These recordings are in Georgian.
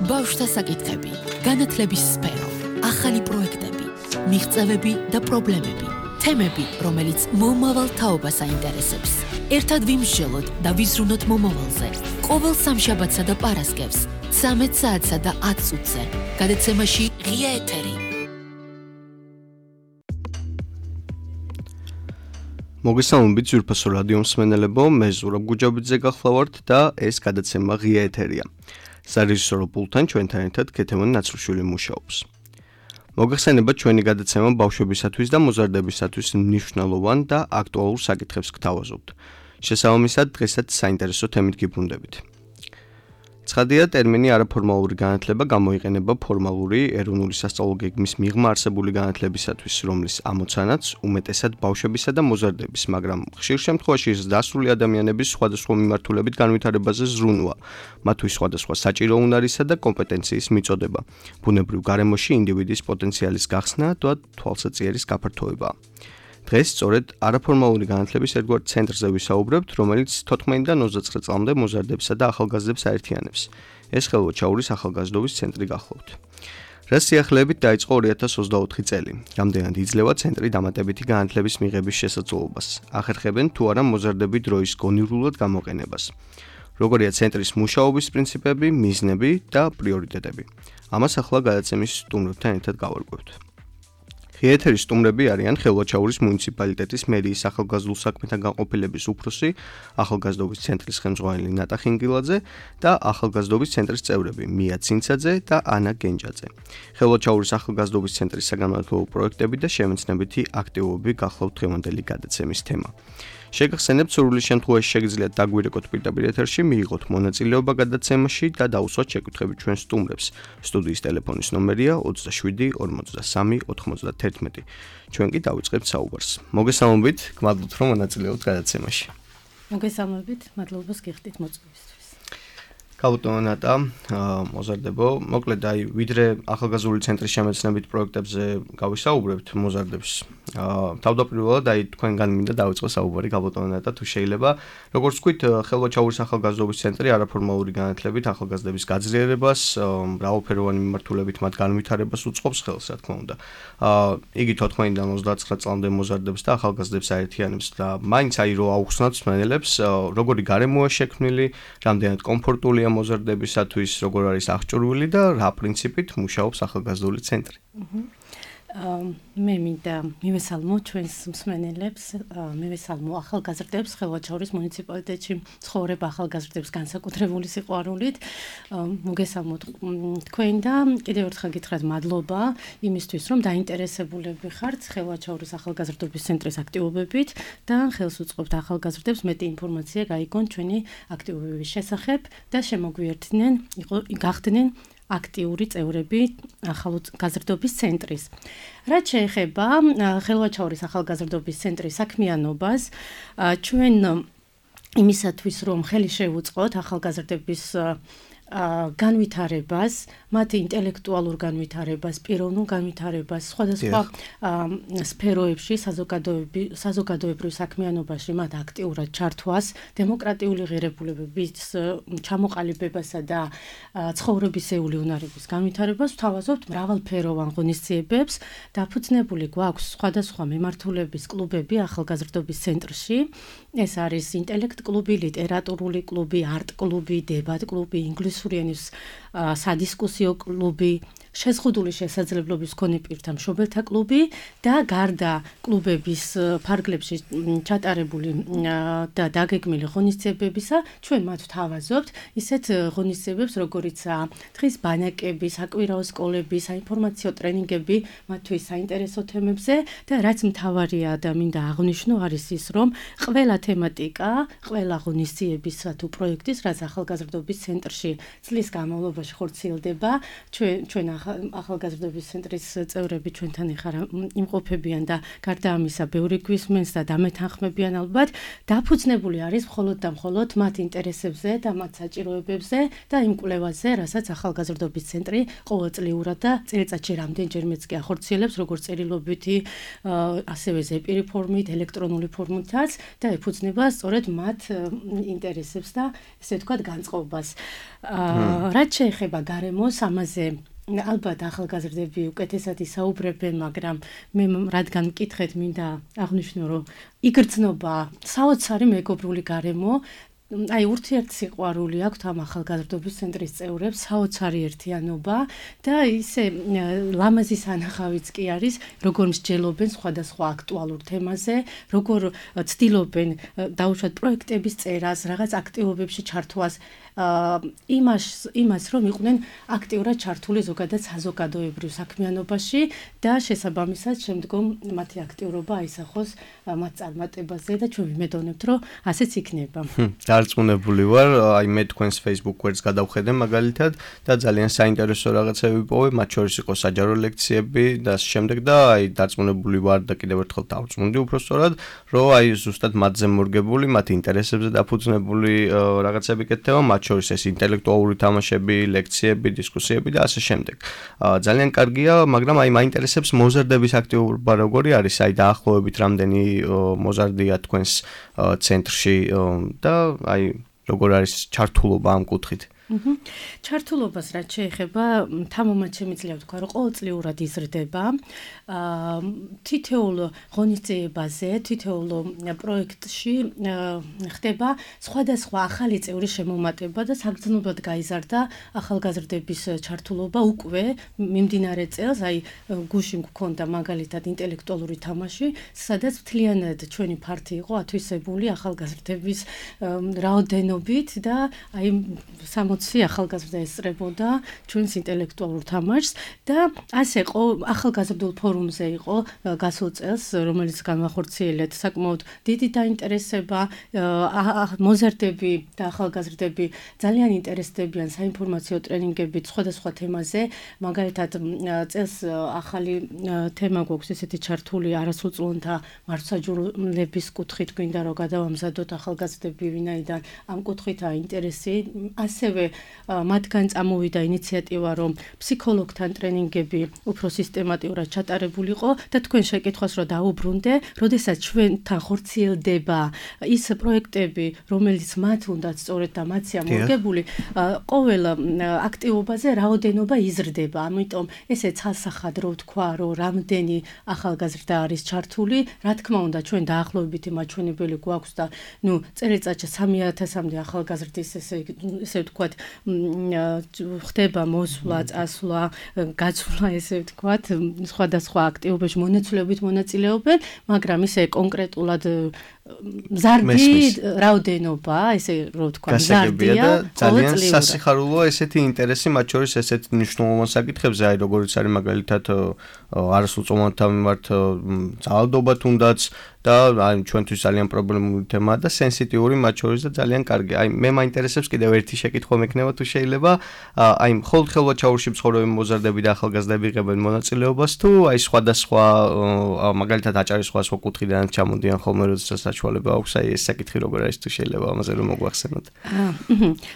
ბავშვთა საკითხები, განათლების სფერო, ახალი პროექტები, მიღწევები და პრობლემები, თემები, რომელიც მომავალ თაობას აინტერესებს. ერთად ვიმსჯელოთ და ვიზრუნოთ მომავალზე. ყოველ სამშაბათსა და პარასკევს, 13 საათსა და 10 წუთზე. გადაცემაში ღია ეთერი. მოგესალმებით ძვირფასო რადიო მსმენელებო, მე ზურაბ გუჯაბიძე გახლავართ და ეს გადაცემა ღია ეთერია. სარეჟისორო პულტთან ჩვენთან ერთად ქეთევან ნაცრუშვილი მუშაობს. მოგეხსენებათ ჩვენი გადაცემა ბავშვებისათვის და მოზარდებისათვის მნიშვნელოვან და აქტუალურ საკითხებს გთავაზობთ. შესაბამისად, დღესაც საინტერესო თემით გიბრუნდებით. ცხადია, ტერმინი არაფორმალური განათლება გამოიყენება ფორმალური ეროვნული სასწავლო გეგმის მიღმა არსებული განათლებისათვის, რომლის ამოცანაც უმეტესად ბავშვებისა და მოზარდების, მაგრამ ხშირ შემთხვევაში ეს დასრული ადამიანების სხვადასხვა მიმართულებით განვითარებაზე ზრუნვა, მათთვის სხვადასხვა საჭირო უნარისა და კომპეტენციის მიწოდება, ბუნებრივ გარემოში ინდივიდის პოტენციალის გახსნა და თვალსაჩინოს გაფართოება. დღეს სწორედ არაფორმალური განათლების ერთგვარ ცენტრზე ვისაუბრებთ, რომელიც 14-დან 29 წლამდე მოზარდებსა და ახალგაზრდებს აერთიანებს. ეს ხელვაჩაურის ახალგაზრდობის ცენტრი გახლავთ. რას სიახლეებით დაიწყო 2024 წელი. რამდენად იძლევა ცენტრი დამატებითი განათლების მიღების შესაძლებლობას. ახერხებენ თუ არა მოზარდები დროის გონივრულად გამოყენებას. როგორია ცენტრის მუშაობის პრინციპები, მიზნები და პრიორიტეტები. ამას ახლა გადაცემის სტუმრებთან ერთად გავარკვევთ. ღია ეთერის სტუმრები არიან ხელვაჩაურის მუნიციპალიტეტის მერიის ახალგაზრდულ საქმეთა განყოფილების უფროსი, ახალგაზრდობის ცენტრის ხელმძღვანელი ნატა ხინგილაძე და ახალგაზრდობის ცენტრის წევრები მია ცინცაძე და ანა გენჯაძე. ხელვაჩაურის ახალგაზრდობის ცენტრის საგანმანათლებლო პროექტები და შემეცნებითი აქტივობები გახლავთ დღევანდელი გადაცემის თემა. შეგახსენებთ, სურვილის შემთხვევაში შეგიძლიათ დაგვირეკოთ პირდაპირ ეთერში, მიიღოთ მონაწილეობა გადაცემაში და დაუსვათ შეკვეთები ჩვენ სტუმრებს. სტუდიის ტელეფონის ნომერია 27 43 91. ჩვენ კი დავიწყებთ საუბარს. მოგესალმებით, გმადლობთ რომ მონაწილეობთ გადაცემაში. მოგესალმებით, მადლობას გიხდით მოწვევისთვის. გაბატონო ნატა, მოზარდებო, მოკლედ ვიდრე ახალგაზრდული ცენტრის შემეცნებით პროექტებზე გავისაუბრებთ მოზარდებს. თავდაპირველად თქვენგან მინდა დავიწყო საუბარი, გაბატონო ნატა, თუ შეიძლება, როგორც ვთქვით, ხელვაჩაურის ახალგაზრდობის ცენტრი არაფორმალური განათლებით ახალგაზრდების გაძლიერებას, მრავალფეროვანი მიმართულებით მათ განვითარებას უწყობს ხელს, რა თქმა უნდა. იგი 14-დან 29 წლამდე მოზარდებს და ახალგაზრდებს აერთიანებს და მაინც რო აუხსნათ მსმენელებს, როგორი გარემოა შექმნილი, რამდენად კომფორტულია მოზარდებისათვის, როგორ არის აღჭურვილი და რა პრინციპით მუშაობს ახალგაზრდული ცენტრი. მე მინდა მივესალმო ჩვენს მსმენელებს, მივესალმო ახალგაზრდებს ხელვაჩაურის მუნიციპალიტეტში ცხოვრებ ახალგაზრდებს განსაკუთრებული სიყვარულით. მოგესალმოთ თქვენ და კიდევ ერთხელ გითხრათ მადლობა იმისთვის, რომ დაინტერესებულები ხართ ხელვაჩაურის ახალგაზრდობის ცენტრის აქტივობებით და ხელს უწყობთ ახალგაზრდებს მეტი ინფორმაცია გაიგონ ჩვენი აქტივობების შესახებ და შემოგვიერთდნენ, გახდნენ აქტიური წევრები ახალგაზრდობის ცენტრის. რაც შეეხება ხელვაჩაურის ახალგაზრდობის ცენტრის საქმიანობას, ჩვენ იმისათვის რომ ხელი შევუწყოთ ახალგაზრდების განვითარებას, მათი ინტელექტუალურ განვითარებას, პიროვნულ განვითარებას, სხვადასხვა სფეროებში, საზოგადოებრივ საქმიანობაში მათ აქტიურად ჩართვას, დემოკრატიული ღირებულებების ჩამოყალიბებასა და ცხოვრებისეული უნარების განვითარებას ვთავაზობთ მრავალფეროვან ღონისძიებებს. დაფუძნებული გვაქვს სხვადასხვა მიმართულების კლუბები ახალგაზრდობის ცენტრში. ეს არის ინტელექტ კლუბი, ლიტერატურული კლუბი, არტ კლუბი, დებატ კლუბი, ინგლისური ენის სადისკუსიო კლუბი, შეზღუდული შესაძლებლობის მქონე პირთა მშობელთა კლუბი და გარდა კლუბების ფარგლებში ჩატარებული და დაგეგმილი ღონისძიებებისა, ჩვენ მათ ვთავაზობთ ისეთ ღონისძიებებს, როგორიცაა დღის ბანაკები, საკვირაო სკოლები, საინფორმაციო ტრენინგები მათთვის საინტერესო თემებზე და რაც მთავარია და მინდა აღვნიშნო არის ის, რომ ყველა თემატიკა, ყველა ღონისძიებისა თუ პროექტის, რაც ახალგაზრდობის ცენტრში წლის განმავლობაში ხორციელდება, ჩვენ ახალგაზრდობის ცენტრის წევრები ჩვენთან იმყოფებიან და გარდა ამისა ბევრი გვისმენს და დამეთანხმებიან ალბათ. დაფუძნებული არის მხოლოდ და მხოლოდ მათ ინტერესებზე და მათ საჭიროებებზე და იმ კვლევაზე, რასაც ახალგაზრდობის ცენტრი ყოველწლიურად და წელიწადში რამდენჯერმეც კი ახორციელებს, როგორც წერილობითი, ასევე ზეპირი ფორმით, ელექტრონული ფორმითაც და ეფუძნება სწორედ მათ ინტერესებს და ესე ვთქვათ განწყობას. რაც შეეხება გარემოს, ამაზე ალბათ ახალგაზრდები უკეთესად ისაუბრებენ, მაგრამ მე რადგან მკითხეთ, მინდა აღვნიშნო, რომ იგრძნობა საოცარი მეგობრული გარემო. აი ურთიერთსიყვარული აქვთ ამ ახალგაზრდობის ცენტრის წევრებს, საოცარი ერთიანობა და ისე ლამაზი სანახავიც კი არის, როგორ მსჯელობენ სხვადასხვა აქტუალურ თემაზე, როგორ ცდილობენ დაუშვათ პროექტების წერას, რაღაც აქტივობებში ჩართვას, იმას რომ იყვნენ აქტიურად ჩართული ზოგადად საზოგადოებრივ საქმიანობაში და შესაბამისად შემდგომ მათი აქტიურობა აისახოს მათ წარმატებაზე და ჩვენ ვიმედოვნებთ, რომ ასეც იქნება. დარწმუნებული ვარ, აი მე თქვენს Facebook გვერდს გადავხედე მაგალითად და ძალიან საინტერესო რაღაცები ვიპოვე, მათ შორის იყო საჯარო ლექციები და ამ შემდეგ და აი დარწმუნებული ვარ და კიდევ ერთხელ დავწმუნდი უბრალოდ, რომ აი ზუსტად მათზე მორგებული, მათ ინტერესებზე დაფუძნებული რაღაცები კეთდება, მათ შორის ეს ინტელექტუალური თამაშები, ლექციები, დისკუსიები და ასე შემდეგ. ძალიან კარგია, მაგრამ აი მაინტერესებს მოზარდების აქტიურობა როგორი არის, აი დაახლოებით რამდენი მოზარდია თქვენს ცენტრში და აი როგორ არის ჩართულობა ამ კუთხით? ჩართულობას რაც შეეხება, თამამად შემიძლია ვთქვა, რომ ყოველწლიურად იზრდება. თითოეულ ღონისძიებაზე, თითოეულ პროექტში ხდება სხვადასხვა ახალი წევრის შემომატება და საგრძნობლად გაიზარდა ახალგაზრდების ჩართულობა უკვე მიმდინარე წელს, აი გუშინ გქონდა მაგალითად ინტელექტუალური თამაში, სადაც მთლიანად ჩვენი ფართი იყო ათვისებული ახალგაზრდების რაოდენობით და აი 60 ახალგაზრდა ესწრებოდა ჩვენს ინტელექტუალურ თამაშს და ასე ახალგაზრდულ ფორუმზე იყო გასულ წელს, რომელიც განვახორციელეთ საკმაოდ დიდი დაინტერესება, მოზარდები და ახალგაზრდები ძალიან ინტერესდებიან საინფორმაციო ტრენინგებით სხვადასხვა თემაზე, მაგალითად წელს ახალი თემა გვაქვს ესეთი ჩართული არასრულწლოვანთა მართლმსაჯულების კუთხით, გვინდა რომ გადავამზადოთ ახალგაზრდები, ვინაიდან ამ კუთხითაა ინტერესი, ასევე მათგან წამოვიდა ინიციატივა, რომ ფსიქოლოგთან ტრენინგები უფრო სისტემატიურად ჩატარებულიყო და თქვენ შეკითხვას რომ დაუბრუნდე, როდესაც ჩვენთან ხორციელდება ის პროექტები, რომელიც მათ უნდათ სწორედ და მათია მორგებული, ყოველ აქტივობაზე რაოდენობა იზრდება. ამიტომ ესე ცალსახადრო ვთქვა, რომ რამდენი ახალგაზრდა არის ჩართული, რა თქმა უნდა, ჩვენ დაახლოებითი მაჩვენებელი გვაქვს და წელიწადში 3000-მდე ახალგაზრდის ესე ვთქვათ, ხდება მოსვლა, წასვლა, გაცვლა, ესე ვთქვათ, სხვადასხვა აქტივობებში მონაცვლეობით მონაწილეობენ, მაგრამ ისე კონკრეტულად მზარდი რაოდენობა, ესე რომ ვთქვა, მზარდია და ძალიან სასიხარულოა ესეთი ინტერესი, მათ შორის ესეთი მნიშვნელოვან საკითხებზე, აი როგორიც არის მაგალითად არასრულწლოვანთა მიმართ ძალადობა თუნდაც და აი ჩვენთვის ძალიან პრობლემური თემაა და სენსიტიური მათ შორის და ძალიან კარგი. აი მე მაინტერესებს კიდევ ერთი შეკითხვა მექნება თუ შეიძლება, აი მხოლოდ ხელვაჩაურში მცხოვრები მოზარდები და ახალგაზრდები იღებენ მონაწილეობას თუ აი სხვადასხვა მაგალითად აჭარის სხვადასხვა კუთხიდან ჩამოდიან ხოლმე, როდესაც საშუალება აქვს, აი ეს საკითხი როგორ არის თუ შეიძლება ამაზე რომ მოგვახსენოთ.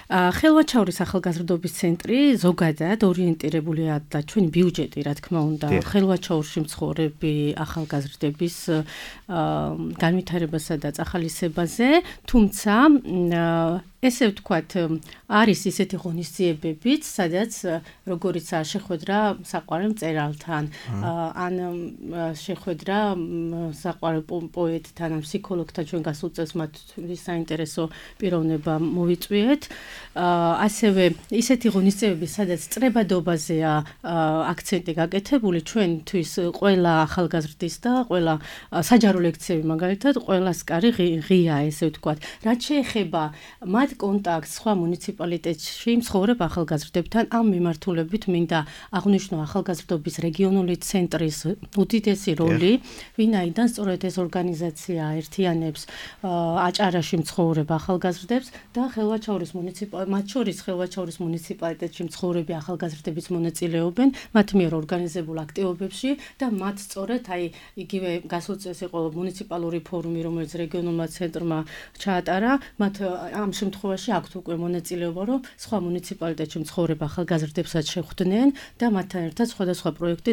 ხელვაჩაურის ახალგაზრდობის ცენტრი ზოგადად ორიენტირებულია და ჩვენი ბიუჯეტი, რა თქმა უნდა, ხელვაჩაურში მცხოვრები ახალგაზრდების განვითარებასა და წახალისებაზე, თუმცა ესე ვთქვათ, არის ისეთი ღონისძიებებიც, სადაც როგორიც შეხვედრა საყვარელ მწერალთან, ან შეხვედრა საყვარელ პოეტთან, ან ფსიქოლოგთან, ჩვენ გასულ წელს მათთვის საინტერესო პიროვნება მოვიწვიეთ. ასევე ისეთი ღონისძიებები, სადაც წრებადობაზეა აქცენტი გაკეთებული, ჩვენთვის ყველა ახალგაზრდის და ყველა საჯარო ლექციები მაგალითად, ყველას კარი ღია, ესე ვთქვათ. რაც შეეხება მათ კონტაქტს სხვა მუნიციპალიტეტში მცხოვრებ ახალგაზრდებთან, ამ მიმართულებით მინდა აღვნიშნო ახალგაზრდობის რეგიონული ცენტრის უდიდესი როლი, ვინაიდან სწორედ ეს ორგანიზაცია აერთიანებს აჭარაში მცხოვრებ ახალგაზრდებს და მათ შორის ხელვაჩაურის მუნიციპალიტეტში მცხოვრები ახალგაზრდებიც მონაწილეობენ მათ მიერ ორგანიზებულ აქტივობებში და მათ სწორედ აი იგივე გასულ წელს იყო მუნიციპალური ფორუმი, რომელიც რეგიონულმა ცენტრმა ჩაატარა, მათ ამ შემთხვევაში შემთხვევაში აქვთ უკვე მონაწილეობა, რომ სხვა მუნიციპალიტეტში მცხოვრებ ახალგაზრდებსაც შეხვდნენ და მათთან ერთად სხვადასხვა პროექტი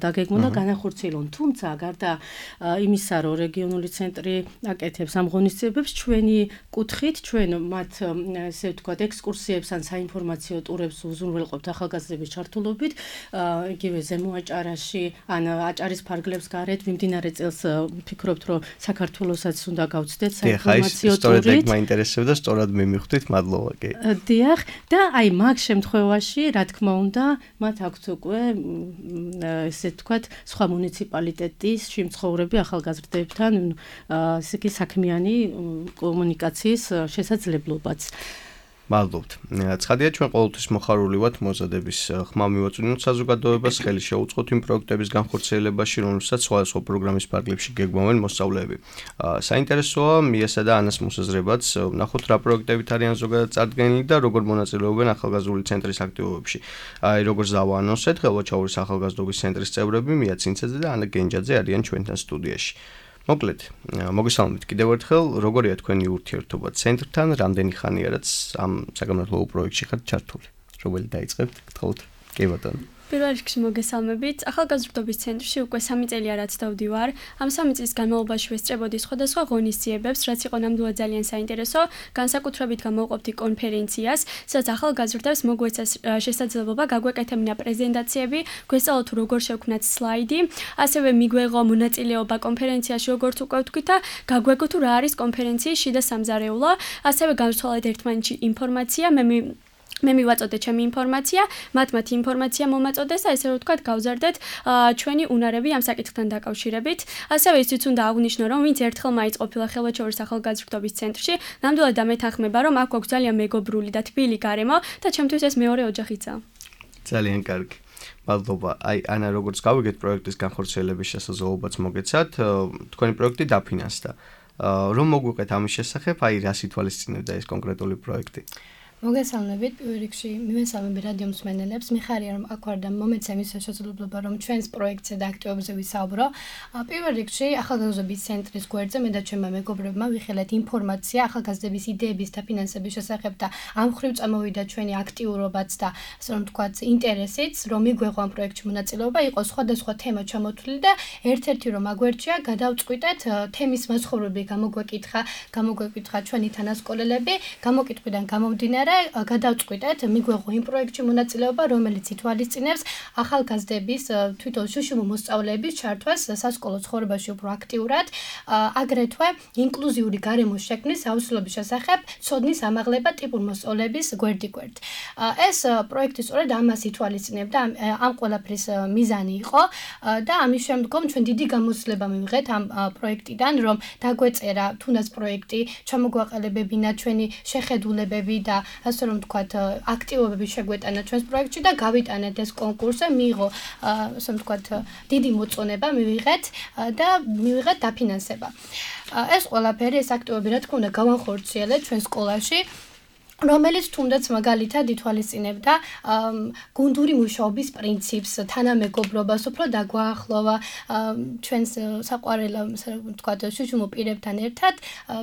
დაგეგმონ და განახორციელონ. თუმცა გარდა იმისა, რომ რეგიონული ცენტრი აკეთებს ამ ღონისძიებებს, ჩვენი კუთხით ჩვენ მათ ესე ვთქვათ ექსკურსიებს ან საინფორმაციო ტურებს უზრუნველყოფთ ახალგაზრდების ჩართულობით, იგივე ზემო აჭარაში ან აჭარის ფარგლებს გარეთ მიმდინარე წელს ვფიქრობთ, რომ საქართველოსაც უნდა გავცდეთ საინფორმაციო ტურით. სწორედ ეგ მაინტერესებდა, სწორად მიმივხვდით, მადლობა კი. დიახ, და აი მაგ შემთხვევაში, რა თქმა უნდა, მათ აქვთ უკვე ესე ვთქვათ, სხვა მუნიციპალიტეტის შემცხოვრები ახალგაზრდებთან ესე იგი საქმიანი კომუნიკაციის შესაძლებლობაც. მადლობთ. ცხადია, ჩვენ ყოველთვის მოხარული ვართ მოზადების ხმა მივაწვდინოთ საზოგადოებას, ხელი შეუწყოთ იმ პროექტების განხორციელებაში, რომელსაც სხვადასხვა პროგრამის ფარგლებში გეგმავენ მოსწავლეები. საინტერესოა მიესა და ანას მოსაზრებაც, ვნახოთ რა პროექტებით არიან ზოგადად წარდგენილი და როგორ მონაწილეობენ ახალგაზრდული ცენტრის აქტივობებში. აი, როგორც დავაანონსეთ, ხელვაჩაურის ახალგაზრდობის ცენტრის წევრები მია ცინცაძე და ანა გენჯაძე არიან ჩვენთან სტუდიაში. მოკლედ, მოგესალმებით კიდევ ერთხელ, როგორია თქვენი ურთიერთობა ცენტრთან, რამდენი ხანია რაც ამ საგამართლობო პროექტში ხართ ჩართული? რომელი დაიწყებთ? გთხოვთ. კი ბატონო. პირველ რიგში მოგესალმებით. ახალგაზრდობის ცენტრში უკვე 3 წელია რაც დავდივარ. ამ 3 წლის განმავლობაში ვესწრებოდი სხვადასხვა ღონისძიებებს, რაც იყო ნამდვილად ძალიან საინტერესო. განსაკუთრებით გამოვყოფდი კონფერენციას, სადაც ახალგაზრდებს მოგვეცეს შესაძლებლობა გაგვეკეთებინა პრეზენტაციები, გვესწავლოთ თუ როგორ შევქმნათ სლაიდი, ასევე მიგვეღო მონაწილეობა კონფერენციაში, როგორც უკვე ვთქვით და გაგვეგო თუ რა არის კონფერენციის შიდა სამზარეულო, ასევე გავცვალეთ ერთმანეთში ინფორმაცია, მე მივაწოდე ჩემი ინფორმაცია, მათ ინფორმაცია მომაწოდეს და ესე რომ ვთქვათ, გავზარდეთ ჩვენი უნარები ამ საკითხთან დაკავშირებით. ასევე ისიც უნდა აღვნიშნო, რომ ვინც ერთხელ მაინც ყოფილა ხელვაჩაურის ახალგაზრდობის ცენტრში, ნამდვილად დამეთანხმება, რომ აქ გვაქვს ძალიან მეგობრული და თბილი გარემო და ჩემთვის ეს მეორე ოჯახიცაა. ძალიან კარგი. მადლობა. აი, ანა, როგორც გავიგეთ პროექტის განხორციელების შესაძლებლობაც მოგეცათ, თქვენი პროექტი დაფინანსდა. რომ მოგვიყეთ ამის შესახებ, აი, რას ითვალისწინებდა ეს კონკრეტული პროექტი? მოგესალმებით, პირველ რიგში მივესალმები რადიო მსმენელებს. მიხარია რომ აქ ვარ და მომეცა იმის შესაძლებლობა რომ ჩვენს პროექტზე და აქტივობებზე ვისაუბრო. პირველ რიგში ახალგაზრდობის ცენტრის გვერდზე მე და ჩემმა მეგობრებმა ვიხილეთ ინფორმაცია ახალგაზრდების იდეების და ფინანსების შესახებ და ამ მხრივ წამოვიდა ჩვენი აქტიურობაც და ასე რომ ვთქვათ ინტერესიც, რომ მიგვეღო ამ პროექტში მონაწილეობა, იყო სხვადასხვა თემა ჩამოთვლილი და ერთ-ერთი რომ აგვერჩია გადავწყვიტეთ თემის მასშტაბური გამოგვეკითხა ჩვენი თანასკოლელები, გამოკითხვიდან გამომდინარე გადავწყვიტეთ მიგვეღო იმ პროექტში მონაწილეობა, რომელიც ითვალისწინებს ახალგაზრდების თვითონ შუშუმო მოსწავლეების ჩართვას სასკოლო ცხოვრებაში უფრო აქტიურად, აგრეთვე ინკლუზიური გარემოს შექმნის აუცილებლობის შესახებ ცოდნის ამაღლება ტიპურ მოსწავლეების გვერდიგვერდ. ეს პროექტი სწორედ ამას ითვალისწინებდა, ამ ყველაფრის მიზანი იყო და ამის შემდგომ ჩვენ დიდი გამოცდილება მივიღეთ ამ პროექტიდან, რომ დაგვეწერა თუნდაც პროექტი, ჩამოგვაყალიბებინა ჩვენი შეხედულებები და ასე რომ ვთქვათ, აქტივობები შეგვეტანა ჩვენს პროექტში და გავიტანეთ ეს კონკურსი, მიიღო ასე რომ ვთქვათ, დიდი მოწონება მივიღეთ და მივიღეთ დაფინანსება. ეს ყველაფერი, ეს აქტივობები რა თქმა უნდა გავახორციელეთ ჩვენ სკოლაში, რომელიც თუნდაც მაგალითად ითვალისწინებდა გუნდური მუშაობის პრინციპს, თანამეგობრობას, უფრო დაგვაახლოვა ჩვენს საყვარელ, ასე ვთქვათ, შუშუმო პირებთან ერთად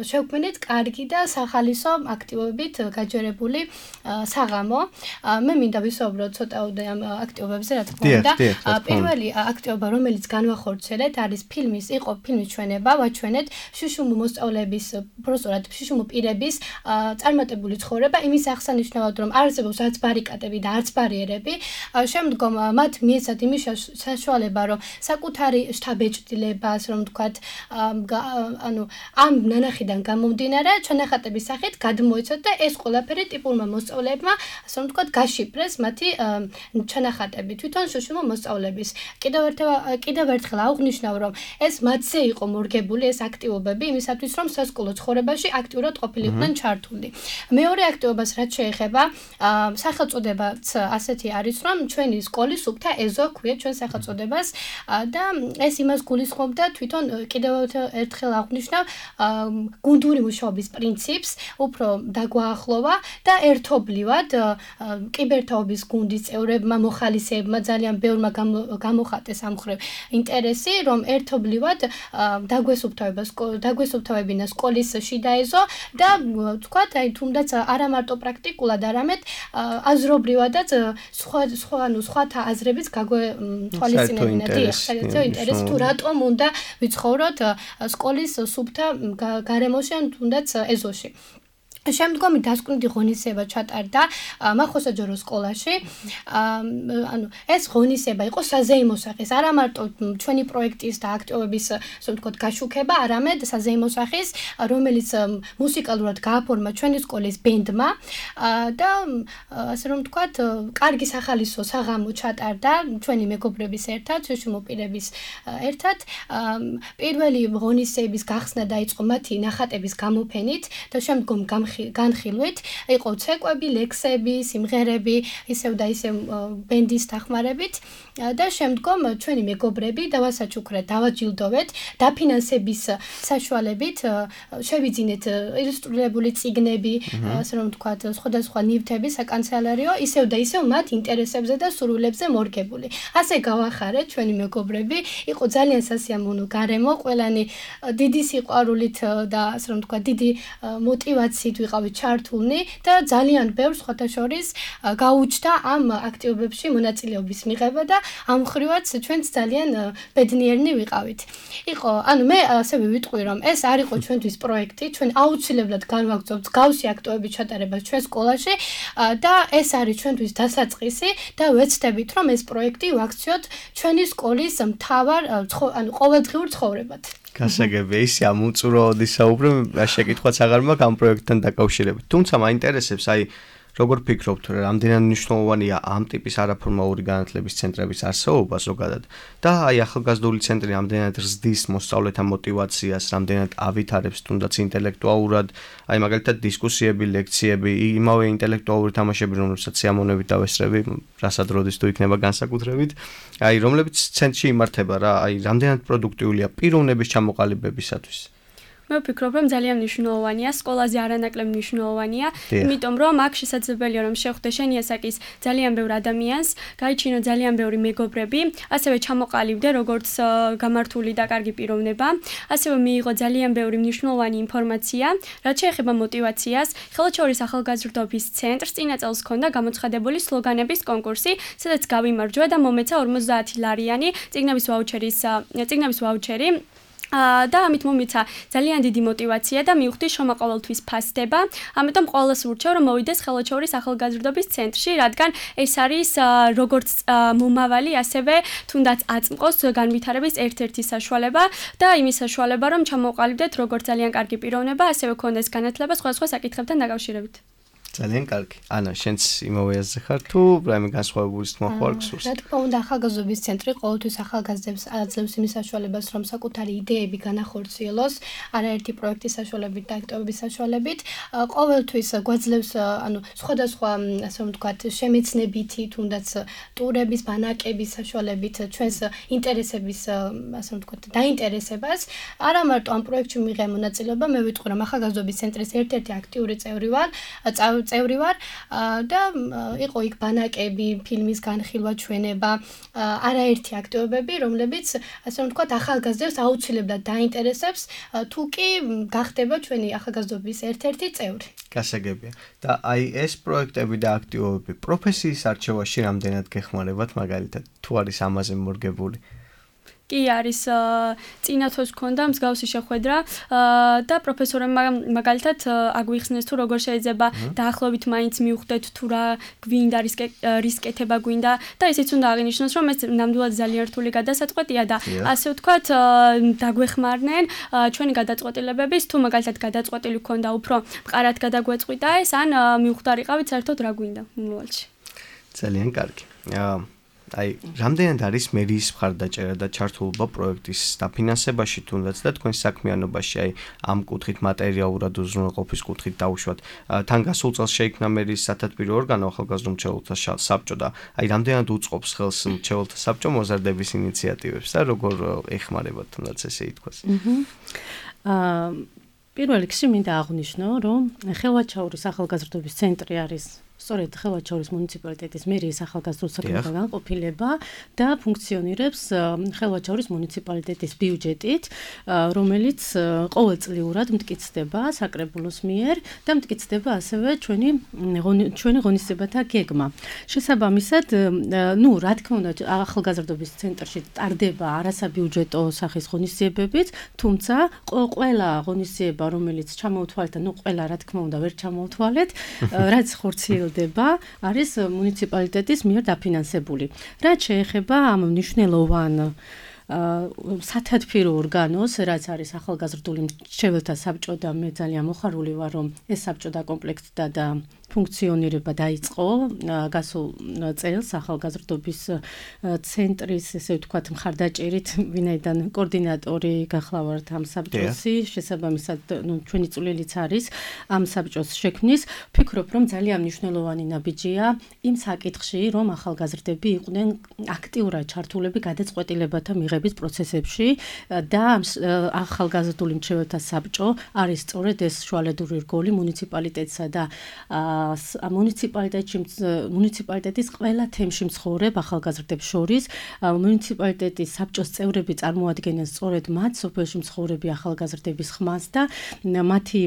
შევქმნით კარგი და სახალისო აქტივობით გაჯერებული საღამო. მე მინდა ვისაუბრო ცოტაოდე ამ აქტივობებზე, რა თქმა უნდა. პირველი აქტივობა, რომელიც განვახორციელეთ, არის ფილმის ჩვენება, ვაჩვენეთ შუშუმო მოსწავლეების, უბრალოდ შუშუმო პირების წარმატებული ცხოვრება. იმის აღსანიშნავად რომ არსებობს არც ბარიკადები და არც ბარიერები, შემდგომ მათ მიეცათ იმის საშუალება რომ საკუთარი შთაბეჭდილება, ასე რომ ვთქვათ, ამ ნანახიდან გამომდინარე ჩანახატების სახით გადმოეცათ და ეს ყველაფერი ტიპურმა მოსწავლეებმა, ასე რომ ვთქვათ, გაშიფრეს მათი ჩანახატები თვითონ შუშუმო მოსწავლეების. კიდევ ერთხელ აღვნიშნავ რომ ეს მათზე იყო მორგებული ეს აქტივობები იმისათვის რომ სასკოლო ცხოვრებაში აქტიურად ყოფილიყვნენ ჩართული. მეორე აქტივობას რაც შეეხება სახელწოდებაც ასეთი არის რომ ჩვენი სკოლის სუფთა ეზო ქვია ჩვენ სახელწოდებას და ეს იმას გულისხმობდა თვითონ კიდევ ერთხელ აღვნიშნავ გუნდური მუშაობის პრინციპს უფრო დაგვაახლოვა და ერთობლივად კიბერთაობის გუნდის წევრებმა მოხალისეებმა ძალიან ბევრმა გამოხატეს ამ მხრივ ინტერესი რომ ერთობლივად დაგვესუფთავებინა სკოლის შიდა ეზო და თქვათ აი თუნდაც არა მარტო პრაქტიკულად არამედ აზრობრივადაც სხვათა აზრებიც გაგვეთვალისწინებინა საერთო ინტერესი თუ რატომ უნდა ვიცხოვროთ სკოლის სუფთა გარემოში ან თუნდაც ეზოში შემდგომი დასკვნითი ღონისძიება ჩატარდა მახოსაჯარო სკოლაში. ანუ ეს ღონისძიება იყო საზეიმო სახის, არა მარტო ჩვენი პროექტის და აქტივობის, ასე ვთქვათ, გაშუქება, არამედ საზეიმო სახის, რომელიც მუსიკალურად გააფორმა ჩვენი სკოლის ბენდმა და ასე რომ ვთქვათ, კარგი სახალისო საღამო ჩატარდა ჩვენი მეგობრების ერთად, შეშმოპირების ერთად. პირველი ღონისძიების გახსნა დაიწყო მათი ნახატების გამოფენით და შემდგომ განხილვით იყო ცეკვები, ლექსები, სიმღერები, ისევ და ისევ ბენდის დახმარებით და შემდგომ ჩვენი მეგობრები დავასაჩუქრეთ, დავაჯილდოვეთ, დაფინანსების საშუალებით შევიძინეთ ილუსტრირებული წიგნები, ასე რომ ვთქვათ, სხვადასხვა ნივთები საკანცელერიო, ისევ და ისევ მათ ინტერესებზე და სურვილებზე მორგებული. ასე გავახარეთ ჩვენი მეგობრები, იყო ძალიან სასიამოვნო გარემო, ყველანი დიდი სიყვარულით და ასე რომ ვთქვათ, დიდი мотивაციით ვიყავით ჩართულნი და ძალიან ბევრ სხვათა შორის გაუჩნდა ამ აქტივობებში მონაწილეობის მიღება და ამ ხრივაც ჩვენც ძალიან ბედნიერნი ვიყავით. იყო, ანუ მე ასევე ვიტყვი რომ ეს არ იყო ჩვენთვის პროექტი, ჩვენ აუცილებლად განვაგრძობთ გავსი აქტივობების ჩატარებას ჩვენ სკოლაში და ეს არის ჩვენთვის დასაწყისი და ვეცდებით რომ ეს პროექტი ვაქციოთ ჩვენი სკოლის მთავარ ანუ ყოველდღიურ ცხოვრებად. გასაგებია, ისე ამ უწუროოდი საუბრე, შეკითხვაც აღარ მაქვს ამ პროექტთან დაკავშირებით. თუმცა მაინტერესებს, აი, როგორ ფიქრობთ, რამდენად მნიშვნელოვანია ამ ტიპის არაფორმალური განათლების ცენტრების არსებობა ზოგადად და აი ახალგაზრდული ცენტრი რამდენად ზრდის მოსწავლეთა мотивაციას, რამდენად ავითარებს თუნდაც ინტელექტუალურად, აი მაგალითად დისკუსიები, ლექციები, იმავე ინტელექტუალური თამაშები, რომელსაც სიამოვნებით დავესწრები, რასაც როდის თუ იქნება განსაკუთრებით, აი რომლებიც ცენტრში იმართება რა, აი რამდენად პროდუქტიულია პიროვნების ჩამოყალიბებისათვის. მე ვფიქრობ, რომ ძალიან მნიშვნელოვანია, სკოლაზე არანაკლებ მნიშვნელოვანია, იმიტომ რომ აქ შესაძლებელია რომ შეხვდე შენი ასაკის ძალიან ბევრ ადამიანს, გაიჩინო ძალიან ბევრი მეგობრები, ასევე ჩამოყალიბდე როგორც გამართული და კარგი პიროვნება, ასევე მიიღო ძალიან ბევრი მნიშვნელოვანი ინფორმაცია, რაც შეეხება мотивაციას. ხელშეურის ახალგაზრდობის ცენტრს წინა წელს ჰქონდა გამოცხადებული სლოგანების კონკურსი, სადაც გავიმარჯვა და მომეცა 50 ლარიანი წიგნების ვაუჩერი. და ამით მომიცა ძალიან დიდი мотивация და მივხვდი რომ ყოველთვის ფასდება. ამიტომ ყოველს ვურჩევ რომ მოვიდეს ხელშეურის ახალგაზრდობის ცენტრში, რადგან ეს არის როგორც მომავალი, ასევე თუნდაც აწმყოს განვითარების ერთ-ერთი საშუალება და იმის საშუალება რომ ჩამოვყალიბდეთ როგორც ძალიან კარგი პიროვნება, ასევე გქონდეს განათლება სხვადასხვა საკითხებთან დაკავშირებით. ძალიან კარგი. ანა, შენც იმავე აზრზე ხარ თუ რაიმე განსხვავებული თქმა ხო არ გსურს? რა თქმა უნდა, ახალგაზრდობის ცენტრი ყოველთვის ახალგაზრდებს აძლევს იმის საშუალებას, რომ საკუთარი იდეები განახორციელოს, არაერთი პროექტის საშუალებით და აქტივობის საშუალებით. ყოველთვის გვაძლევს, ანუ სხვადასხვა, ასე ვთქვათ, შემეცნებითი, თუნდაც ტურების, ბანაკების საშუალებით ჩვენს ინტერესების, ასე ვთქვათ, დაინტერესებას. არა მარტო ამ პროექტში მიღე მონაწილეობა, მე ვიტყვი, რომ ახალგაზრდობის ცენტრის ერთ-ერთი აქტიური წევრი ვარ და იყო იქ ბანაკები, ფილმის განხილვა, ჩვენება, არაერთი აქტივობები, რომლებიც ასე რომ ვთქვათ, ახალგაზრდებს აუცილებლად დაინტერესებს, თუ კი გახდება ჩვენი ახალგაზრდობის ერთ-ერთი წევრი. გასაგებია. და აი ეს პროექტები და აქტივობები პროფესიის არჩევაში რამდენად გეხმარებათ, მაგალითად, თუ არის ამაზე მორგებული? კი არის წინა თვეს ჰქონდა მსგავსი შეხვედრა და პროფესორებმა მაგალითად აგვიხსნეს თუ როგორ შეიძლება დაახლოებით მაინც მივხვდეთ თუ რა გვინდა რის კეთება გვინდა და ისიც უნდა აღინიშნოს რომ ეს ნამდვილად ძალიან რთული გადასაწყვეტია და ასე ვთქვათ დაგვეხმარნენ ჩვენი გადაწყვეტილებების თუ მაგალითად გადაწყვეტილი ჰქონდა უფრო მყარად გადაგვეწყვიტა ეს ან მივხვდარიყავით საერთოდ რა გვინდა მომავალში. ძალიან კარგი. აი, რამდენად არის მერიის მხარდაჭერა და ჩართულობა პროექტის დაფინანსებაში თუნდაც და თქვენ საქმიანობაში, აი, ამ კუთხით მატერიალურად უზრუნველყოფის კუთხით დავუშვათ. თან გასულ წელს შეიქმნა მერიის სათათბირო ორგანო ახალგაზრდა მრჩეველთა საბჭო და აი, რამდენად უწყობს ხელს მრჩეველთა საბჭო მოზარდების ინიციატივებს და როგორ ეხმარებათ თუნდაც ესე ითქვას. პირველ რიგში მინდა აღვნიშნო, რომ ხელვაჩაურის ახალგაზრდობის ცენტრი არის სწორედ ხელვაჩაურის მუნიციპალიტეტის მერიის ახალგაზრდულ საქმეთა განყოფილება და ფუნქციონირებს ხელვაჩაურის მუნიციპალიტეტის ბიუჯეტით, რომელიც ყოველწლიურად მტკიცდება საკრებულოს მიერ და მტკიცდება ასევე ჩვენი ღონისძიებათა გეგმა. შესაბამისად, რა თქმა უნდა, ახალგაზრდობის ცენტრში ტარდება არასაბიუჯეტო სახის ღონისძიებებიც, თუმცა ყველა ღონისძიება, რომელიც ჩამოუთვალეთ და ყველა რა თქმა უნდა ვერ ჩამოუთვალეთ, რაც ხორციელდება არის მუნიციპალიტეტის მიერ დაფინანსებული. რაც შეეხება ამ მნიშვნელოვან სათათბირო ორგანოს, რაც არის ახალგაზრდული მრჩეველთა საბჭო და მე ძალიან მოხარული ვარ, რომ ეს საბჭო დაკომპლექტდა და ფუნქციონირება დაიწყო გასულ წელს ახალგაზრდობის ცენტრის, ესე ვთქვათ, მხარდაჭერით, ვინაიდან კოორდინატორი გახლავართ ამ საბჭოსი, შესაბამისად, ჩვენი წვლილიც არის ამ საბჭოს შექმნის. ვფიქრობ, რომ ძალიან მნიშვნელოვანი ნაბიჯია იმ საკითხში, რომ ახალგაზრდები იყვნენ აქტიურად ჩართულები გადაწყვეტილებათა მიღების პროცესებში და ახალგაზრდული მრჩეველთა საბჭო არის სწორედ ეს შუალედური რგოლი მუნიციპალიტეტსა და მუნიციპალიტეტის ყველა თემში მცხოვრებ ახალგაზრდებს შორის. მუნიციპალიტეტის საბჭოს წევრები წარმოადგენენ სწორედ მათ სოფელში მცხოვრები ახალგაზრდების ხმას და მათი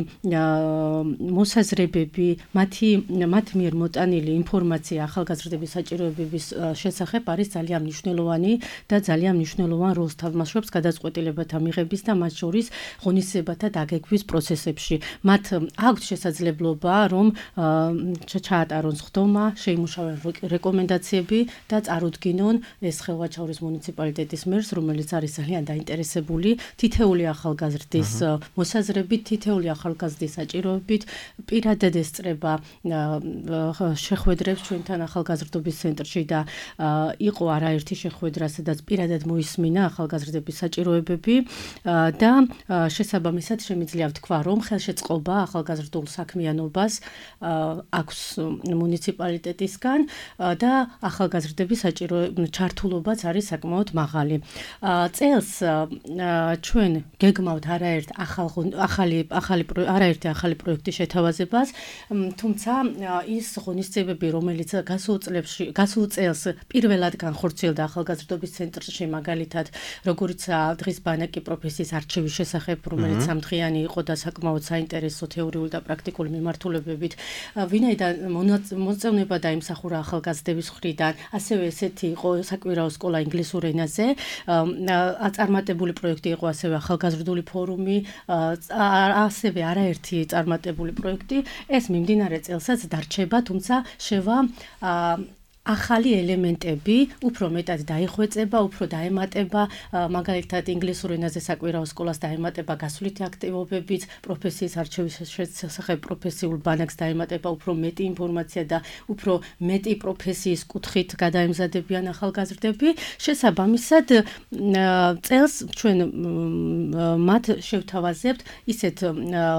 მოსაზრებები, მათ მიერ მოტანილი ინფორმაცია ახალგაზრდების საჭიროებების შესახებ არის ძალიან მნიშვნელოვანი და ძალიან მნიშვნელოვან როლს თამაშობს გადაწყვეტილებათა მიღების და მათ შორის ღონისძიებათა დაგეგმვის პროცესებში. მათ აქვთ შესაძლებლობა, რომ ჩაატარონ სხდომა, შეიმუშავონ რეკომენდაციები და წარუდგინონ ეს ხელვაჩაურის მუნიციპალიტეტის მერს, რომელიც არის ძალიან დაინტერესებული თითეული ახალგაზრდის მოსაზრებით, თითეული ახალგაზრდის საჭიროებით, პირადად ესწრება შეხვედრებს ჩვენთან ახალგაზრდობის ცენტრში და იყო არაერთი შეხვედრა, სადაც პირადად მოისმინა ახალგაზრდების საჭიროებები და შესაბამისად შემიძლია ვთქვა, რომ ხელშეწყობა ახალგაზრდულ საქმიანობას აქვს მუნიციპალიტეტისგან და ახალგაზრდების ჩართულობაც არის საკმაოდ მაღალი. წელს ჩვენ გეგმავთ არაერთი ახალი პროექტის შეთავაზებას, თუმცა ის ღონისძიებები, რომელიც გასულ წელს პირველად განხორციელდა ახალგაზრდობის ცენტრში, მაგალითად, როგორიც დღის ბანაკი პროფესიის არჩევის შესახებ, რომელიც სამდღიანი იყო და საკმაოდ საინტერესო თეორიული და პრაქტიკული მიმართულებებით, ვინაიდან მოწევნება დაიმსახურა ახალგაზრდების მხრიდან, ასევე ესეთი იყო საკვირაო სკოლა ინგლისურ ენაზე, წარმატებული პროექტი იყო ასევე ახალგაზრდული ფორუმი, ასევე არაერთი წარმატებული პროექტი, ეს მიმდინარე წელსაც დარჩება, თუმცა შევა ახალი ელემენტები, უფრო მეტად დაიხვეწება, უფრო დაემატება, მაგალითად ინგლისურ ენაზე საკვირაო სკოლას დაემატება გასვლითი აქტივობებიც, პროფესიის არჩევის შესახებ პროფესიულ ბანაკს დაემატება უფრო მეტი ინფორმაცია და უფრო მეტი პროფესიის კუთხით გადაემზადებიან ახალგაზრდები. შესაბამისად, წელს ჩვენ მათ შევთავაზებთ ისეთ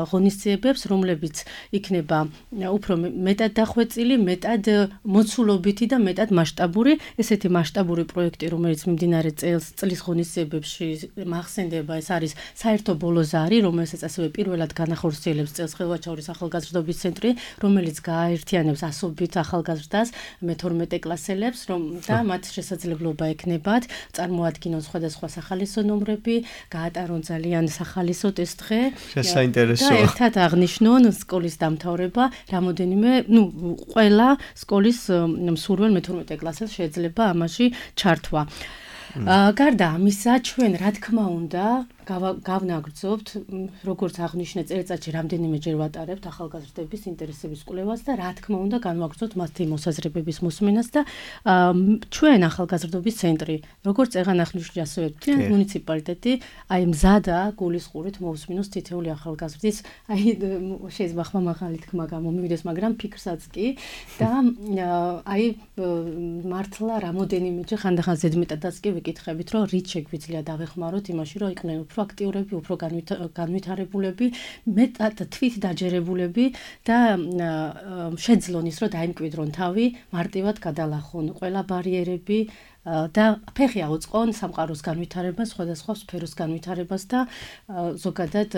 ღონისძიებებს, რომლებიც იქნება უფრო მეტად დახვეწილი, მეტად მოცულობითი და მეტად მასშტაბური, ესეთი მასშტაბური პროექტი, რომელიც მიმდინარე წლის ღონისძიებებში მახსენდება, ეს არის საერთო ბოლოზარი, რომელსაც ასევე პირველად განახორციელებს წელს ხელვაჩაურის ახალგაზრდობის ცენტრი, რომელიც გააერთიანებს ასობით ახალგაზრდას, მე-12 კლასელებს, და მათ შესაძლებლობა ექნებათ წარმოადგინონ სხვადასხვა სახალისო ნომრები, გაატარონ ძალიან სახალისო ტესტ-დღე შესაინტერესოა. და ერთად აღნიშნონ სკოლის დამთავრება, რამოდენიმე, ყველა სკოლის მსურველ მე-12 კლასელს შეიძლება ამაში ჩართვა. გარდა ამისა, ჩვენ რა თქმა უნდა გავნაგრძობთ, როგორც აღნიშნე წელიწადში რამდენიმეჯერ ვატარებთ ახალგაზრდების ინტერესების კვლევას და რა თქმა უნდა განვაგრძობთ მათი მოსაზრებების მოსმენას და ჩვენ ახალგაზრდობის ცენტრი, როგორც წეგან აღნიშნე ასევე მუნიციპალიტეტი, აი მზადა გულისყურით მოусმინოს თითეული ახალგაზრდის, აი შეიძლება ხმამაღალი თქმა გამომივიდეს, მაგრამ ფიქრსაც კი და აი მართლა რამოდენიმეჯერ ხანდახან ზედმეტადაც კი ვიკითხებით, რომ რით შეგვიძლია დავეხმაროთ იმაში, რომ იყვნენ უფრო აქტიურები, უფრო განვითარებულები, მეტად თვით დაჯერებულები და შეძლონ ის, რომ დაიმკვიდრონ თავი, მარტივად გადალახონ ყველა ბარიერები და ფეხი აუწყონ სამყაროს განვითარებას, სხვადასხვა სფეროს განვითარებას და ზოგადად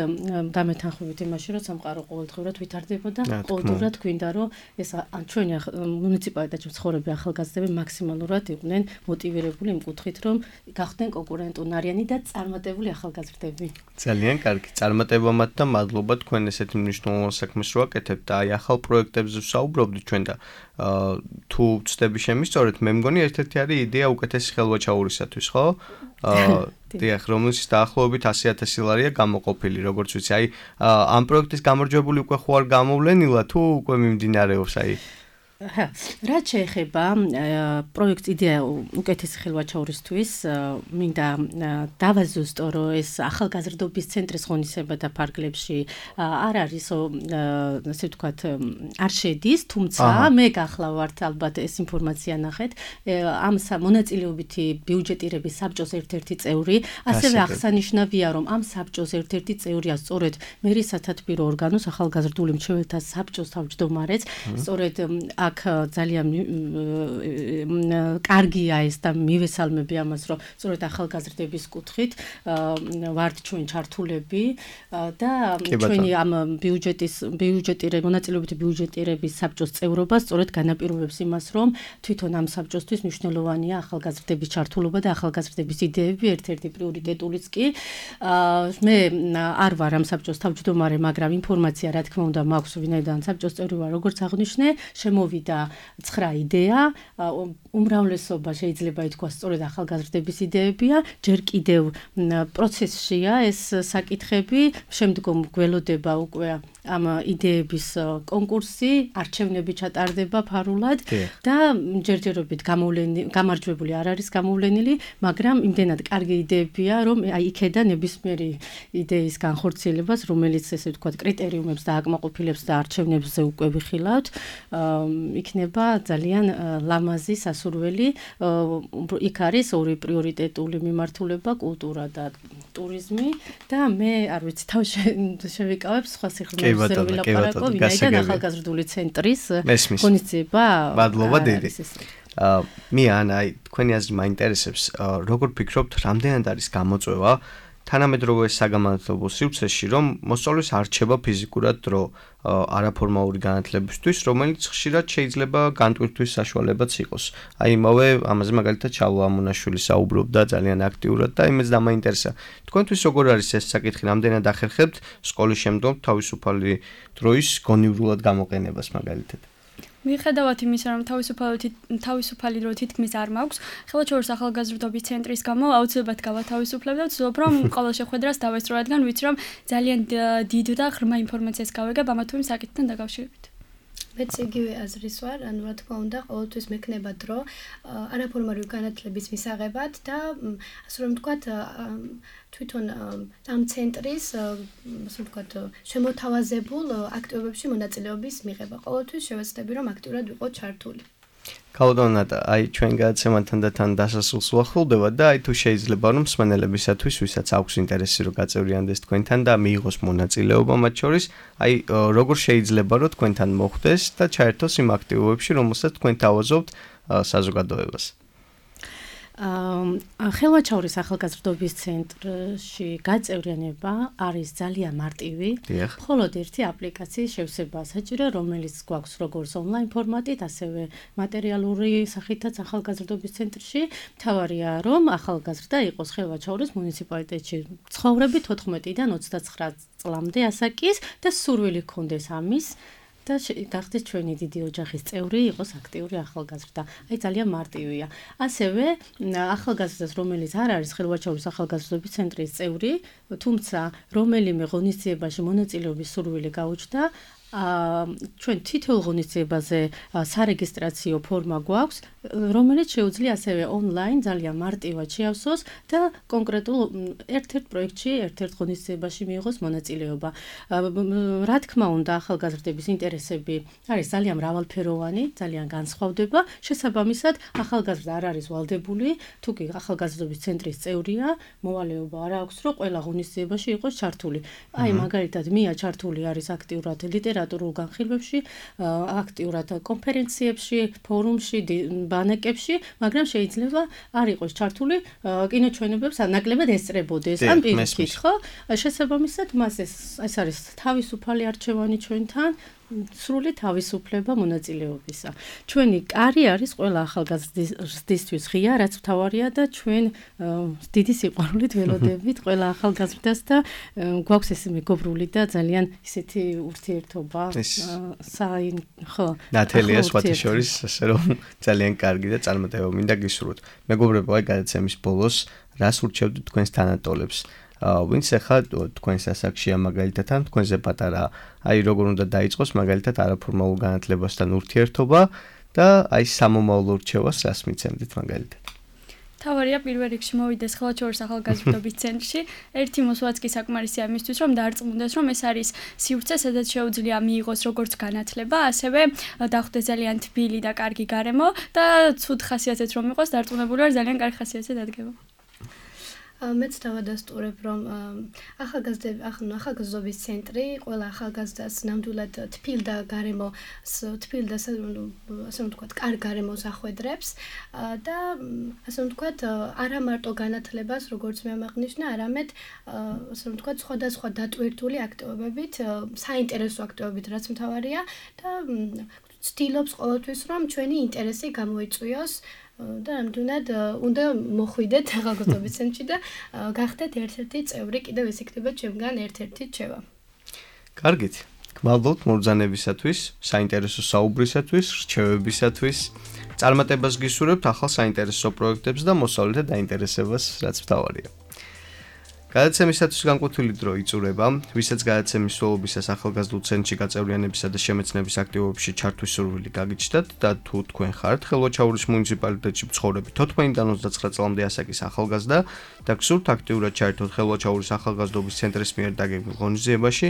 დამეთანხმებით იმაში, რომ სამყარო ყოველდღურად ვითარდება და ყოველდღურად გვინდა, რომ ეს ჩვენი მუნიციპალიტეტში მცხოვრები ახალგაზრდები მაქსიმალურად იყვნენ მოტივირებული იმ კუთხით, რომ გახდნენ კონკურენტუნარიანი და წარმატებული ახალგაზრდები. ძალიან კარგი. წარმატება მათ და მადლობა თქვენ ესეთი მნიშვნელოვან საქმეს რო აკეთებთ და აი ახალ პროექტებზე ვსაუბრობთ ჩვენ და თუ ვწდები შემისწორეთ, მე მგონი ერთ-ერთი არის იდეა უკეთესი ხელვაჩაურისათვის, ხო? დიახ, რომელშიც დაახლოებით 100,000 ლარია გამოყოფილი, როგორც ვიცი, აი ამ პროექტის გამარჯვებული უკვე ხო არ გამოვლენილა თუ უკვე მიმდინარეობს, აი რაც შეეხება პროექტ იდეა უკეთესი ხელვაჩაურისთვის, მინდა დავაზუსტო, რომ ეს ახალგაზრდობის ცენტრის ღონისძიებათა ფარგლებში არ არის, ასე ვთქვათ, არ შედის, თუმცა მე გახლავართ ალბათ ეს ინფორმაცია ნახეთ, ამ მონაწილეობითი ბიუჯეტირების საბჭოს ერთ-ერთი წევრი, ასევე აღსანიშნავია, რომ ამ საბჭოს ერთ-ერთი წევრია სწორედ მერისათათბირო ორგანოს ახალგაზრდული მრჩეველთა საბჭოს თავმჯდომარეც, სწორედ აქ ძალიან კარგია ეს და მივესალმები ამას, რომ სწორედ ახალგაზრდების კუთხით ვართ ჩვენ ჩართულები და ჩვენი ამ მონაწილეობითი ბიუჯეტირების საბჭოს წევრობა სწორედ განაპირობებს იმას, რომ თვითონ ამ საბჭოსთვის მნიშვნელოვანია ახალგაზრდების ჩართულობა და ახალგაზრდების იდეები ერთ-ერთი პრიორიტეტულიც კი. მე არ ვარ ამ საბჭოს თავმჯდომარე, მაგრამ ინფორმაცია რა თქმა უნდა მაქვს, ვინაიდან საბჭოს წევრი ვარ, როგორც აღნიშნე, შემოვიდა 9 იდეა, უმრავლესობა შეიძლება ითქვას სწორედ ახალგაზრდების იდეებია, ჯერ კიდევ პროცესშია ეს საკითხები, შემდგომ გველოდება უკვე ამ იდეების კონკურსი, არჩევნები ჩატარდება ფარულად და ჯერჯერობით გამარჯვებული არ არის გამოვლენილი, მაგრამ იმდენად კარგი იდეებია, რომ აი იქედან ნებისმიერი იდეის განხორციელებას, რომელიც ესე ვთქვათ კრიტერიუმებს და აკმაყოფილებს და არჩევნებზე უკვე ვიხილავთ, იქნება ძალიან ლამაზი სასურველი. იქ არის ორი პრიორიტეტული მიმართულება, კულტურა და ტურიზმი და მე არ ვიცი თავ შევიკავებ სხვა სიხრმეებზე რომ ვილაპარაკო, ვინაიდან ახალგაზრდული ცენტრის ღონისძიება. მადლობა დიდი. მე აი თქვენი აზრი მაინტერესებს, როგორ ფიქრობთ, რამდენად არის გამოწვევა თანამედროვე საგამართლებო სივრცეში, რომ მოსწავლეს არჩება ფიზიკურად დრო არაფორმალური განათლებისთვის, რომელიც ხშირად შეიძლება განტვირთვის საშუალებაც იყოს. აი იმავე ამაზე მაგალითად ჩალვა ამონაშვილი საუბრობდა ძალიან აქტიურად და იმეც დამაინტერესა. თქვენთვის როგორ არის ეს საკითხი, რამდენად ახერხებთ სკოლის შემდგომ თავისუფალი დროის გონივრულად გამოყენებას მაგალითად? მიუხედავად იმისა, რომ თავისუფალი დრო თითქმის არ მაქვს, ხელვაჩაურის ახალგაზრდობის ცენტრის გამო აუცილებლად გავათავისუფლებ და ვცდილობ, რომ ყოველ შეხვედრას დავესწრო, რადგან ვიცი, რომ ძალიან დიდ და ღრმა ინფორმაციას გავიგებ ამა თუ იმ საკითხთან დაკავშირებით. მეც იგივე აზრის ვარ, ანუ რა თქმა უნდა, ყოველთვის მექნება დრო არაფორმალური განათლების მისაღებად და ასე რომ ვთქვათ, თვითონ ამ ცენტრის, ასე ვთქვათ, შემოთავაზებულ აქტივობებში მონაწილეობის მიღება. ყოველთვის შევეცდები, რომ აქტიურად ვიყო ჩართული. კალოდონატა, აი ჩვენ გადაცემასთან და თან დასასრულს ვახლოვდება და აი თუ შეიძლება რომ მსმენელებისათვის, ვისაც აქვს ინტერესი რომ გაწევრიანდეს თქვენთან და მიიღოს მონაწილეობა მათ შორის, აი როგორ შეიძლება რომ თქვენთან მოხვდეს და ჩაერთოს იმ აქტივობებში, რომელსაც თქვენ თავაზობთ საზოგადოებას. ხელვაჩაურის ახალგაზრდობის ცენტრში გაწევრიანება არის ძალიან მარტივი. მხოლოდ ერთი აპლიკაციის შევსება საჭირო, რომელიც გვაქვს როგორც ონლაინ ფორმატით, ასევე მატერიალური სახითაც ახალგაზრდობის ცენტრში. მთავარია, რომ ახალგაზრდა იყოს ხელვაჩაურის მუნიციპალიტეტში ცხოვრები 14-დან 29 წლამდე ასაკის და სურვილი ჰქონდეს ამის. და გახდეს ჩვენი დიდი ოჯახის წევრი, იყოს აქტიური ახალგაზრდა. აი ძალიან მარტივია. ასევე ახალგაზრდას, რომელიც არ არის ხელვაჩაურის ახალგაზრდობის ცენტრის წევრი, თუმცა რომელიმე ღონისძიებაში მონაწილეობის სურვილი გაუჩნდა, ჩვენ თითოეულ ღონისძიებაზე სარეგისტრაციო ფორმა გვაქვს, რომელიც შეუძლია ასევე ონლაინ ძალიან მარტივად შეავსოს და კონკრეტულ ერთ-ერთ პროექტში, ერთ-ერთ ღონისძიებაში მიიღოს მონაწილეობა. რა თქმა უნდა, ახალგაზრდების ინტერესები არის ძალიან მრავალფეროვანი, ძალიან განსხვავდება. შესაბამისად, ახალგაზრდა არ არის ვალდებული, თუ კი ახალგაზრდობის ცენტრის წევრია, მოვალეობა არ აქვს, რომ ყველა ღონისძიებაში იყოს ჩართული. აი, მაგალითად, მია ჩართული არის აქტიურად ლიტერატურულ განხილვებში, აქტიურად კონფერენციებში, ფორუმში, ბანაკებში, მაგრამ შეიძლება არ იყოს ჩართული კინოჩვენებებს ნაკლებად ესწრებოდეს. ან პირიქით, ხო? შესაბამისად, მას ეს არის თავისუფალი არჩევანი ჩვენთან. სრული თავისუფლება მონაწილეობისა. ჩვენი კარი არის ყველა ახალგაზრდისთვის ღია, რაც მთავარია და ჩვენ დიდი სიყვარულით ველოდებით ყველა ახალგაზრდას და გვაქვს ეს მეგობრული და ძალიან ისეთი ურთიერთობა. ხო. ნათელია სხვათა შორის, ასე რომ ძალიან კარგი და წარმატება მინდა გისურვოთ. მეგობრებო, აი გადაცემის ბოლოს რას ურჩევთ თქვენს თანატოლებს? ვინც ახლა თქვენს ასაკშია მაგალითად ან თქვენზე პატარა, აი როგორ უნდა დაიწყოს მაგალითად არაფორმალურ განათლებასთან ურთიერთობა და აი სამომავლო რჩევას რას მიცემდით მაგალითად? თავარია პირველ რიგში მოვიდეს ხელვაჩაურის ახალგაზრდობის ცენტრში. ერთი მოსვლაც კი საკმარისია იმისთვის, რომ დარწმუნდეს, რომ ეს არის სივრცე, სადაც შეუძლია მიიღოს როგორც განათლება, ასევე დახვდეს ძალიან თბილი და კარგი გარემო და ცუდ ხასიათით რომ იყოს, დარწმუნებული ვარ, ძალიან კარგი ხასიათზე დადგება. მეც დავადასტურებ, რომ ახალგაზრდობის ცენტრი ყველა ახალგაზრდას ნამდვილად თბილ და ასე რომ ვთქვათ, კარგ გარემოს ახვედრებს და ასე რომ ვთქვათ, არა მარტო განათლებას, როგორც მე აღნიშნა, არამედ ასე რომ ვთქვათ, სხვადასხვა დატვირთული აქტივობებით, საინტერესო აქტივობებით, რაც მთავარია და ცდილობს ყოველთვის, რომ ჩვენი ინტერესი გამოიწვიოს და ნამდვილად უნდა მოხვიდეთ ახალგაზრდობის ცენტრში და გახდეთ ერთ-ერთი წევრი, კიდევ ეს იქნება ჩემგან ერთ-ერთი რჩევა. კარგით. გმადლობთ მობრძანებისათვის, საინტერესო საუბრისათვის, რჩევებისათვის. წარმატებას გისურვებთ ახალ საინტერესო პროექტებს და მოსავლეთა დაინტერესებას, რაც მთავარია. გადაცემისათვის განკვეთილი დრო იწურება, ვისაც გადაცემის სრულობისას ახალგაზრდულ ცენტრში გაწევრიანებისა და შემეცნების აქტივობებში ჩართვის სურვილი გაგიჩნდათ და თუ თქვენ ხართ ხელვაჩაურის მუნიციპალიტეტში მცხოვრები 14-დან 29 წლამდე ასაკის ახალგაზრდა და გსურთ აქტიურად ჩაერთოთ ხელვაჩაურის ახალგაზრდობის ცენტრის მიერ დაგეგმილ ღონისძიებაში,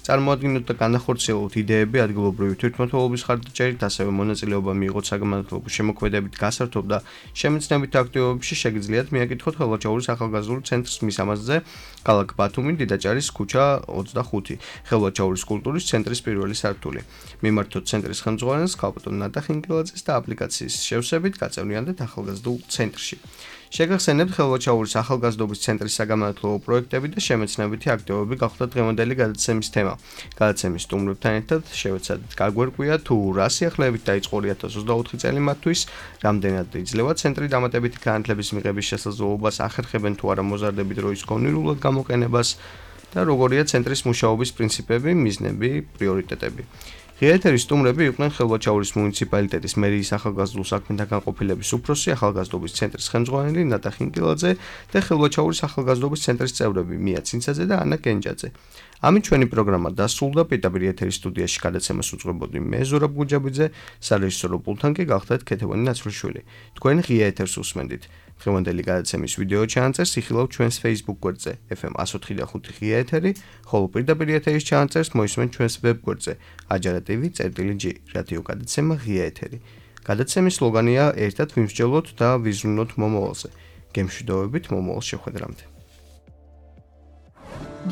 წარმოადგინოთ და განახორციელოთ იდეები ადგილობრივი თვითმმართველობის ხარჯებით, ასევე მონაწილეობა მიიღოთ საგანმანათლებლო შემოქმედებით გასართობ და შემეცნებით აქტივობებში შეგიძლიათ მიაკითხოთ ხელვაჩაურის ახალგაზრდულ ცენტრის მისამართზე, ქალაქ ბათუმი, დიდაჭარის ქუჩა 25, ხელვაჩაურის კულტურის ცენტრის პირველი სართული. მიმართოთ ცენტრის ხელმძღვანელს ქალბატონ ნატა ხინკილაძეს და აპლიკაციის შევსებით გაწევრიანდეთ ახალგაზრდულ ცენტრში. შეგახსენებთ ხელვაჩაურის ახალგაზრდობის ცენტრის საგანმანათლებლო პროექტები და შემეცნებითი აქტივობები გახდა დღევანდელი გადაცემის თემა. გადაცემის სტუმრებთან ერთად შევეცადეთ გაგვერკვია თუ რა სიახლეებით დაიწყო 2024 წელი მათთვის, რამდენად იძლევა ცენტრი დამატებითი განათლების მიღების შესაძლებლობას, ახერხებენ თუ არა მოზარდებით როის კონკრეტულად გამოყენებას და როგორია ცენტრის მუშაობის პრინციპები, მიზნები, პრიორიტეტები. ღია სტუმრები იყვნენ ხელვაჩაურის მუნიციპალიტეტის მერიის ახალგაზრდულ საქმეთა განყოფილების უფროსი, ახალგაზრდობის ცენტრის ხელმძღვანელი ნატა ხინკილაძე და ხელვაჩაურის ახალგაზრდობის ცენტრის წევრები მია ცინცაძე და ანა კენჯაძე. ამით ჩვენი პროგრამა დასრულდა. პირდაპირ ეთერის სტუდიაში გადაცემას უძღვებოდი მე ზურაბ გუჯაბიძე, სარეჟისორო პულტთან კი გახდათ ქეთევანი ნაცვლიშვილი. თქვენ ღია ეთერს უსმენდით. დღევანდელი გადაცემის ვიდეო ჩანაწერს იხილავთ ჩვენს Facebook გვერდზე FM 104.5 ღია ეთერი, ხოლო პირდაპირ ეთერის ჩანაწერს მოისმენთ ჩვენს ვებ გვერდზე ajara.tv/g რადიო გადაცემა ღია ეთერი. გადაცემის სლოგანია ერთად ვიმსჯელოთ და ვიზრუნოთ მომავალზე. გემშვიდობებით მომავალ შეხვედრამდე.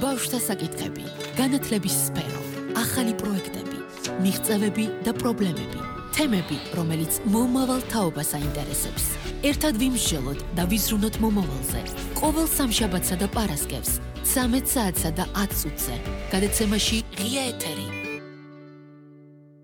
ბავშვთა საკითხები, განათლების სფერო, ახალი პროექტები, მიღწევები და პრობლემები, თემები, რომელიც მომავალ თაობას აინტერესებს. ერთად ვიმსჯელოთ და ვიზრუნოთ მომავალზე. ყოველ სამშაბათსა და პარასკევს 13 საათსა და 10 წუთზე. გადაცემაში ღია ეთერი.